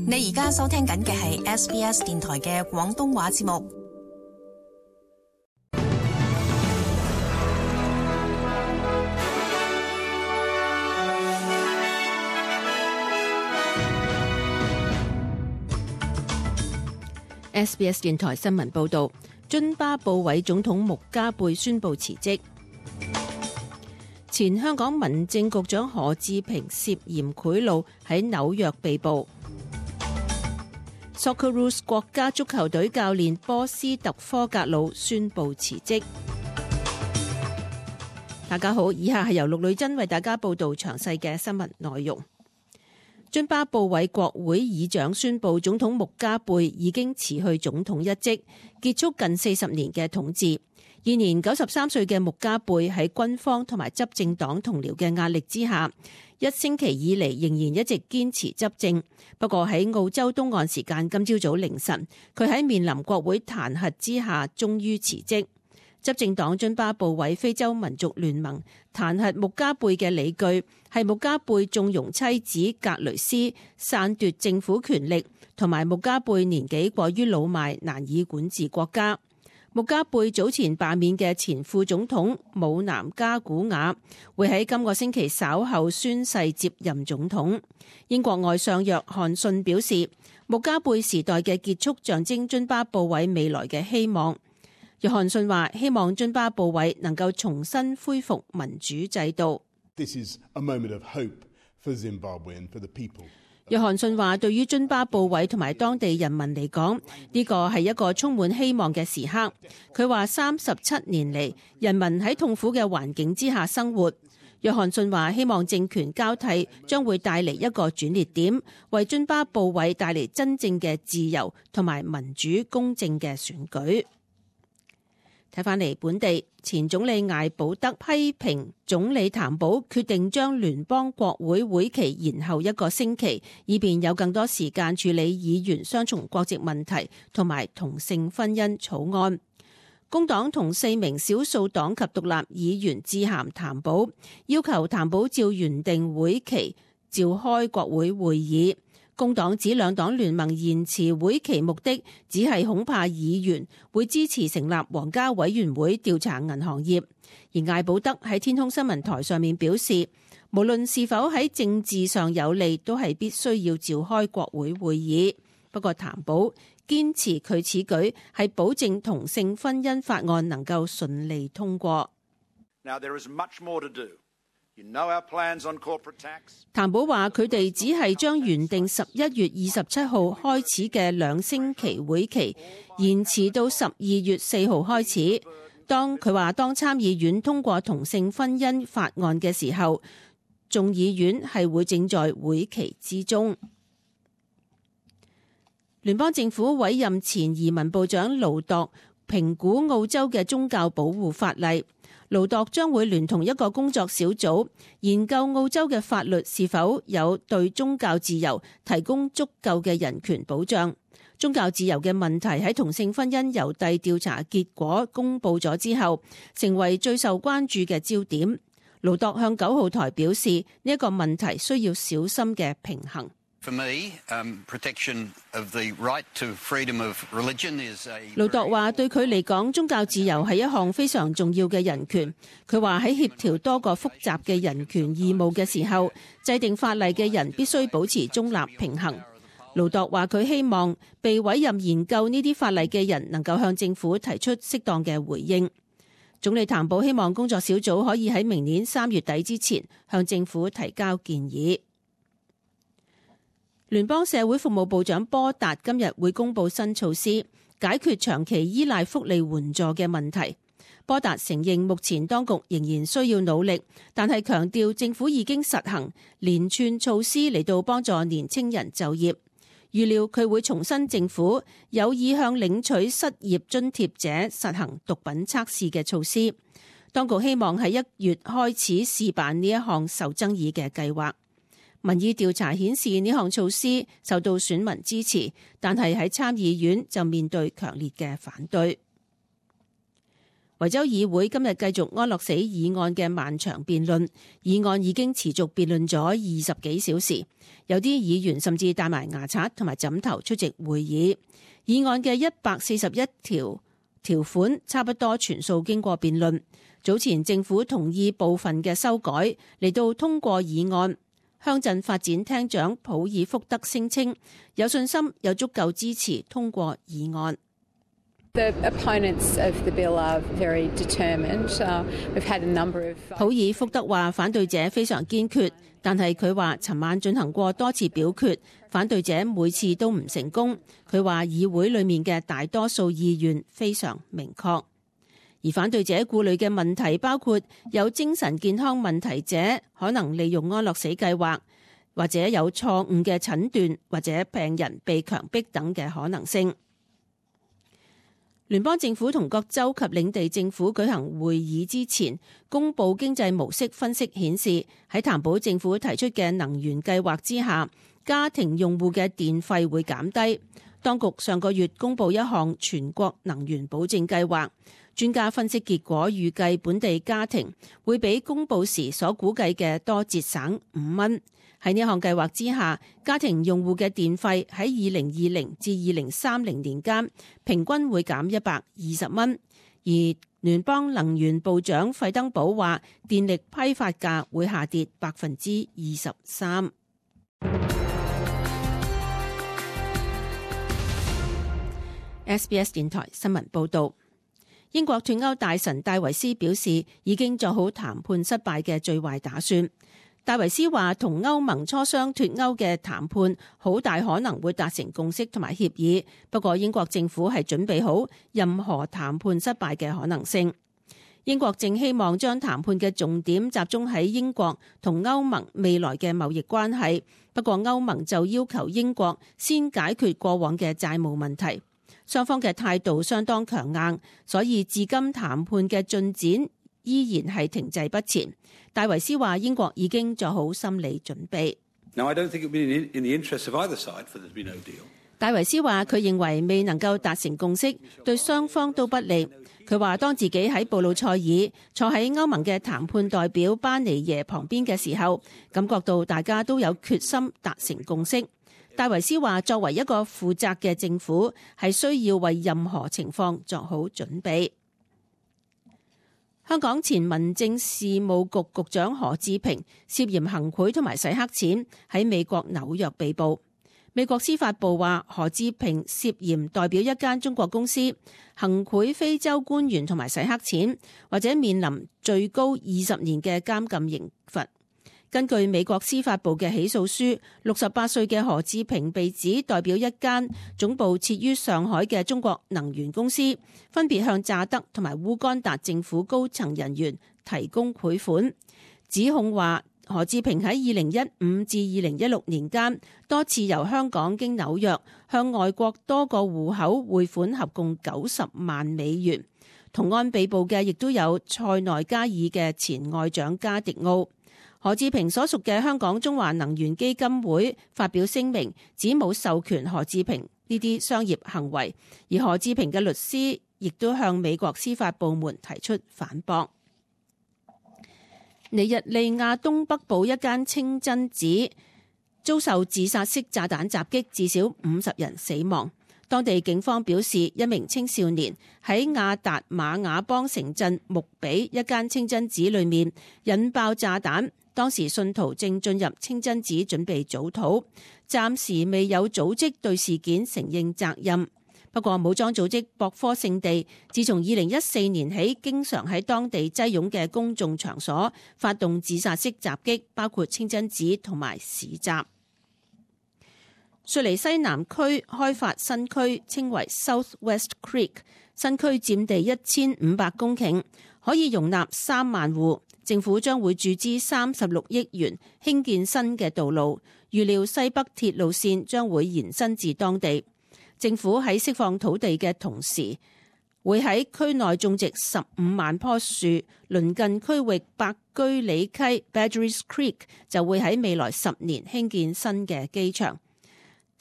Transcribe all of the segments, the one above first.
你而家收聽緊嘅係 SBS 電台嘅廣東話節目。SBS 電台新聞報道，津巴布韋總統穆加貝宣布辭職。前香港民政局長何志平涉嫌賄賂喺紐約被捕。Socceroos 國家足球隊教練波斯特科格魯宣布辭職。大家好，以下係由陸女珍為大家報道詳細嘅新聞內容。津巴布韋國會議長宣布，總統穆加貝已經辭去總統一職，結束近40年嘅統治。現年93歲嘅穆加貝喺軍方同埋執政黨同僚嘅壓力之下，一星期以嚟仍然一直堅持執政。不過喺澳洲東岸時間今朝早凌晨，佢喺面臨國會彈劾之下，終於辭職。執政黨津巴布韋非洲民族聯盟彈劾穆加貝嘅理據係穆加貝縱容妻子格雷斯篡奪政府權力，同埋穆加貝年紀過於老邁，難以管治國家。穆加貝早前罷免嘅前副總統姆南加古瓦會喺今個星期稍後宣誓接任總統。英國外相約翰遜表示，穆加貝時代嘅結束象徵津巴布韋未來嘅希望。約翰遜話：希望津巴布韋能夠重新恢復民主制度。約翰遜話：對於津巴布韋同埋當地人民嚟講，呢個係一個充滿希望嘅時刻。佢話：37年嚟，人民喺痛苦嘅環境之下生活。約翰遜話：希望政權交替將會帶嚟一個轉捩點，為津巴布韋帶嚟真正嘅自由同埋民主公正嘅選舉。睇返嚟本地，前總理艾保德批評總理譚寶決定將聯邦國會會期延後1個星期，以便有更多時間處理議員雙重國籍問題同埋同性婚姻草案。工黨同4名少數黨及獨立議員致函譚寶，要求譚寶照原定會期召開國會會議。工黨指兩黨聯盟延遲會期目的只係恐怕議員會支持成立皇家委員會調查銀行業。而艾保德喺天空新聞台上面表示，無論是否喺政治上有利，都係必須要召開國會會議。不過譚寶堅持佢此舉係保證同性婚姻法案能夠順利通過。Now there is much more to do. You know our plans on corporate tax. 譚寶話：佢哋只係將原定11月27號開始嘅2星期會期延遲到12月4號開始。佢話當參議院通過同性婚姻法案嘅時候，眾議院係會正在會期之中。聯邦政府委任前移民部長盧度評估澳洲嘅宗教保護法例。盧度將會聯同一個工作小組研究澳洲嘅法律是否有對宗教自由提供足夠嘅人權保障。宗教自由嘅問題喺同性婚姻郵遞調查結果公佈咗之後，成為最受關注嘅焦點。盧度向9號台表示，呢一個問題需要小心嘅平衡。盧度話：對佢嚟講，宗教自由係一項非常重要嘅人權。佢話喺協調多個複雜嘅人權義務嘅時候，制定法例嘅人必須保持中立平衡。盧度話：佢希望被委任研究呢啲法例嘅人能夠向政府提出適當嘅回應。總理譚寶希望工作小組可以喺明年3月底之前向政府提交建議。聯邦社會服務部長波達今日會公布新措施，解決長期依賴福利援助嘅問題。波達承認目前當局仍然需要努力，但係強調政府已經實行連串措施嚟到幫助年青人就業。預料佢會重申政府有意向領取失業津貼者實行毒品測試嘅措施。當局希望喺1月開始試辦呢一項受爭議嘅計劃。民意調查顯示呢項措施受到選民支持，但係喺參議院就面對強烈嘅反對。維州議會今日繼續安樂死議案嘅漫長辯論，議案已經持續辯論咗20幾小時，有啲議員甚至帶埋牙刷同埋枕頭出席會議。議案嘅141條款差不多全數經過辯論。早前政府同意部分嘅修改嚟到通過議案。鄉鎮發展廳長普爾福德聲稱有信心有足夠支持通過議案。The opponents of the bill are very determined. We've had a number of... 普爾福德話反對者非常堅決，但係佢話尋晚進行過多次表決，反對者每次都唔成功。佢話議會裡面嘅大多數意願非常明確，而反對者顧慮嘅問題包括有精神健康問題者可能利用安樂死計劃，或者有錯誤嘅診斷，或者病人被強迫等嘅可能性。聯邦政府同各州及領地政府舉行會議之前，公布經濟模式分析顯示，喺談保政府提出嘅能源計劃之下，家庭用戶嘅電費會減低。當局上個月公布一項全國能源保證計劃，專家分析結果預計本地家庭會比公布時所估計嘅多節省5蚊。喺呢項計劃之下，家庭用戶嘅電費喺2020至2030年間平均會減120蚊，而聯邦能源部長費登堡話電力批發價會下跌23%。SBS 電台新聞報道，英國脫歐大臣戴維斯表示已經做好談判失敗嘅最壞打算。戴維斯話同歐盟磋商脫歐嘅談判好大可能會達成共識同埋協議，不過英國政府係準備好任何談判失敗嘅可能性。英國正希望將談判嘅重點集中喺英國同歐盟未來嘅貿易關係，不過歐盟就要求英國先解決過往嘅債務問題。雙方嘅態度相當強硬，所以至今談判嘅進展依然係停滯不前。戴維斯話英國已經做好心理準備。戴維斯話佢認為未能夠達成共識對雙方都不利。佢話當自己喺布魯塞爾坐喺歐盟嘅談判代表班尼耶旁邊嘅時候，感覺到大家都有決心達成共識。戴維斯話作為一個負責嘅政府係需要為任何情況作好準備。香港前民政事務局局長何志平涉嫌行賄同埋洗黑錢，喺美國紐約被捕。美國司法部話何志平涉嫌代表一間中國公司行賄非洲官員同埋洗黑錢，或者面臨最高20年嘅監禁刑罰。根據美國司法部嘅起訴書，68歲嘅何志平被指代表一間總部設於上海嘅中國能源公司，分別向乍得同埋烏干達政府高層人員提供賄款。指控話何志平喺2015至2016年間多次由香港經紐約向外國多個戶口匯款，合共90萬美元。同案被捕嘅亦都有塞內加爾嘅前外長加迪奧。何志平所屬嘅香港中華能源基金會發表聲明，指冇授權何志平呢啲商業行為，而何志平嘅律師亦都向美國司法部門提出反駁。尼日利亞東北部一間清真寺遭受自殺式炸彈襲擊，至少50人死亡。當地警方表示，一名青少年喺亞達馬亞邦城鎮穆比一間清真寺裏面引爆炸彈。當時信徒正進入清真寺準備早禱，暫時未有組織對事件承認責任。不過武裝組織博科聖地自從2014年起，經常喺當地擠擁嘅公眾場所發動自殺式襲擊，包括清真寺同埋市集。雪梨西南區開發新區稱為 South West Creek， 新區佔地1500公頃，可以容納3萬戶。政府將會注資36億元興建新嘅道路，預料西北鐵路線將會延伸至當地。政府喺釋放土地嘅同時，會喺區內種植15萬棵樹。鄰近區域白居里溪 Badgerys Creek 就會喺未來10年興建新嘅機場。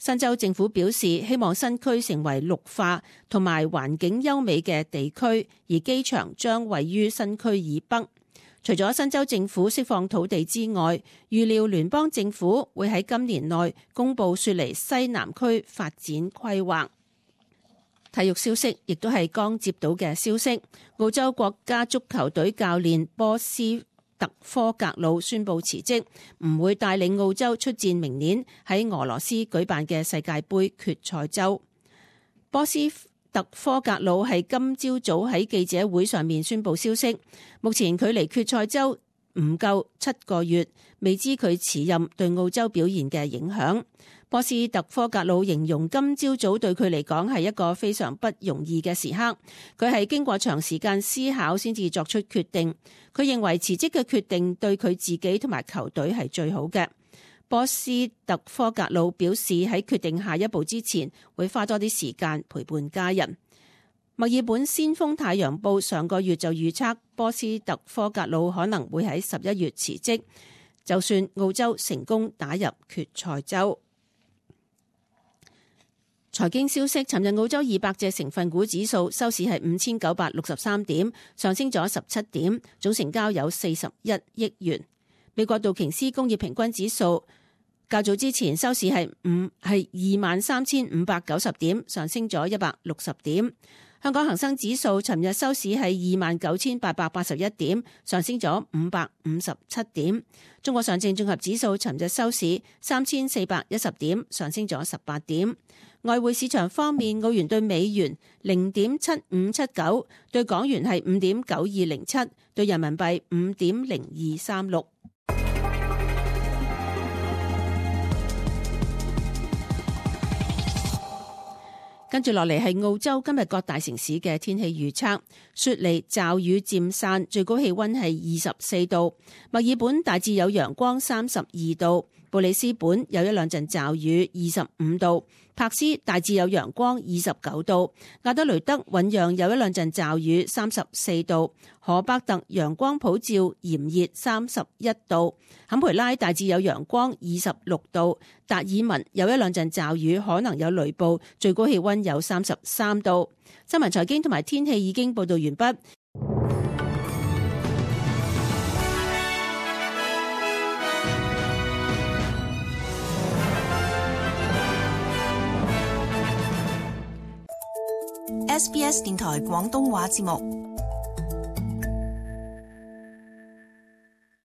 新州政府表示，希望新區成為綠化同埋環境優美嘅地區，而機場將位於新區以北。除咗新州政府釋放土地之外，預料聯邦政府會喺今年內公布雪梨西南區發展規劃。體育消息亦都係剛接到嘅消息，澳洲國家足球隊教練波斯特科格魯宣布辭職，唔會帶領澳洲出戰明年喺俄羅斯舉辦嘅世界盃決賽周。波斯特科格魯係今朝早喺記者會上面宣布消息，目前距離決賽周唔夠7個月，未知佢辭任對澳洲表現嘅影響。波斯特科格魯形容今朝早對佢嚟講係一個非常不容易嘅時刻，佢係經過長時間思考先至作出決定。佢認為辭職嘅決定對佢自己同埋球隊係最好嘅。波斯特科格魯表示喺決定下一步之前，會花多啲時間陪伴家人。墨爾本先鋒太陽報上個月就預測波斯特科格魯可能會喺11月辭職，就算澳洲成功打入決賽周。財經消息，尋日澳洲200隻成分股指數收市係5963點，上升咗17點，總成交有41億元。美國道瓊斯工業平均指數較早之前收市係23,590點，上升咗160點。香港恒生指數尋日收市係29,881點，上升咗557點。中國上證綜合指數尋日收市3,410點，上升咗18點。外匯市場方面，澳元對美元0.7579，對港元係5.9207，對人民幣5.0236。跟住落嚟係澳洲今日各大城市嘅天氣預測：雪梨驟雨漸散，最高氣溫係24度；墨爾本大致有陽光32度；布里斯本有一兩陣驟雨25度；柏斯大致有陽光29度；亞德雷德醞釀有一兩陣驟雨34度；荷伯特陽光普照炎熱31度；坎培拉大致有陽光26度；達爾文有一兩陣驟雨，可能有雷暴，最高氣溫有33度。新聞財經同埋天氣已經報道完畢。SBS 電台廣東話節目。